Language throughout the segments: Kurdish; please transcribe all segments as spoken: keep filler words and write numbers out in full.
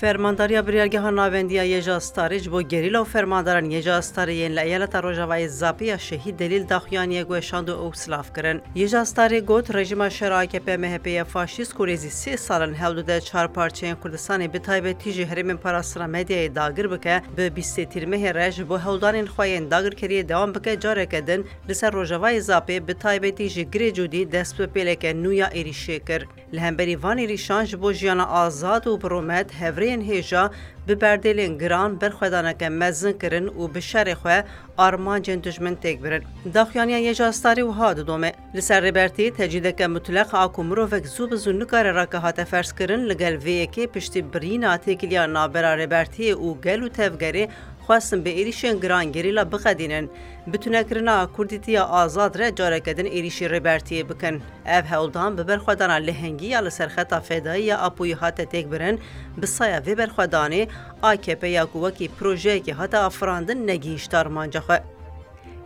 Fermandariya Biryargeha Navendî ya Yêja Starê ji bo gerîla û fermandaran Yêja Starê yên li eyaleta Rojavayê Zapê ya Şehîd Delîl daxuyaniyek weşand û ew silav kirin. Yêja Starê got, rejîma şer A K P M H P ya faşîst ku nêzî sê sal in hewl dide çar parçeyên Kurdistanê bi taybetî jî herêmên parastina medyayê dagir bike, bi bîstê Tîrmehê re ji bo hewldanên xwe yên dagirkeriyê dewam bike, careke din li ser Rojavayê Zapê bi taybetî ji Girê Cûdî dest bi pêleke nû ya êrîşê kir. Li hemberî van êrîşan ji bo jiyana azad û bi rûmet hevrêyên hêja bi berdêlên giran berxwedaneke mezin kirin û bi şerê xwe armancên dijmin têk birin. Daxuyaniya Yêja Starê wiha didome. Li ser Rêbertiyê tecrîdeke mutleq a ku mirovek zû bi zû nikare rake hate ferzkirin, li gel vê yekê piştî birîna têkiliya navbera Rêbertiyê û gel û tevgerê xwestin bi êrîşên giran gerîla biqedînin, bi tunekirina Kurdîtiya azad re careke din êrîşî Rêbertiyê bikin. Ev hewldan bi berxwedana lehengî ya li ser xeta fedayî ya Apoyî hate têkbirin, bi saya vê berxwedanê A K P ya ku wekî projeyekê hate afirandin negihîşt armanca xwe.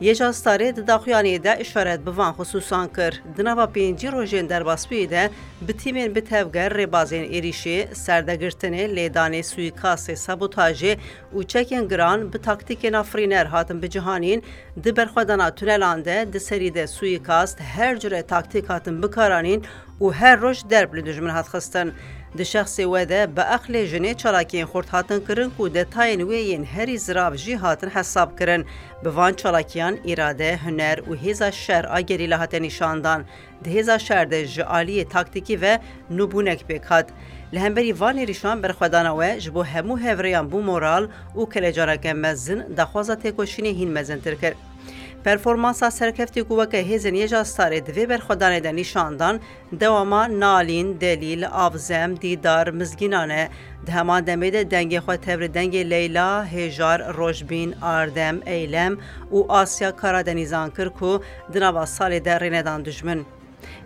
Yêja Starê di daxuyaniyê de îşaret bi van xisûsan kir. Di nava pêncî rojên derbasbûyî de bi tîmên bi tevger rêbazên êrîşê, serdegirtinê, lêdanê, suîkastê, sabotajê û çekên giran bi taktîkên afirîner hatin bicihanîn, di berxwedana tunelan de, di serî de suîkast, her cure taktîk hatin bikaranîn û her roj derb li dijmin hat xistin. Di şexsê we de bi aqlê jinê çalakiyên xurt hatin kirin ku detayên wê yên herî zirav jî hatin hesab kirin. Bi van çalakiyan îrade, huner û hêza şer a gerîla hate nîşandan. Di hêza şer de ji aliyê taktîkî ve nûbûnek pêk hat. Li hemberî van êrîşan berxwedana we ji bo hemû hevrêyan bû moral û kelecaneke mezin, daxwaza têkoşînê hîn mezintir kir. Performansa serkeftî ku weke hêzên Yêja Starê di vê berxwedanê de nîşan dan, dewama Nalîn, Delîl, Avzem, Dîdar, Mizgînan e. Di heman demê de dengê xwe tevli dengê Leyla, Hêjar, Rojbîn, Ardem, Eylem û Asya Karadenîzan kir ku di nava salê de rê nedan dijmin.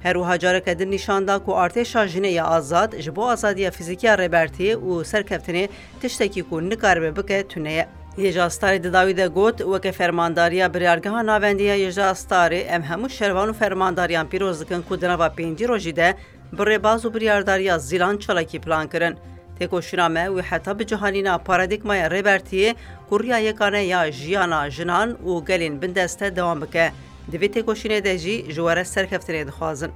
Her wiha careke din nîşan da ku artêşa jinê ya azad ji bo azadiya fîzîkî ya Rêbertiyê û serkeftinê tiştekî ku nikaribe bike tune ye. Yêja Starê di dawî de got, weke fermandariya Biryargeha Navendî ya Yêja Starê em hemû şervan û fermandariyan pîroz dikin ku di nava pêncî rojî de bi rêbaz û biryardariya zîlan çalakî plan kirin. Têkoşîna me wî heta bicihanîna paradîgmaya Rêbertiyê ku riya yekane ya jiyana jinan û gelên bindeste dewam bike. Di vê têkoşînê de jî ji we re serkeftinê dixwazin.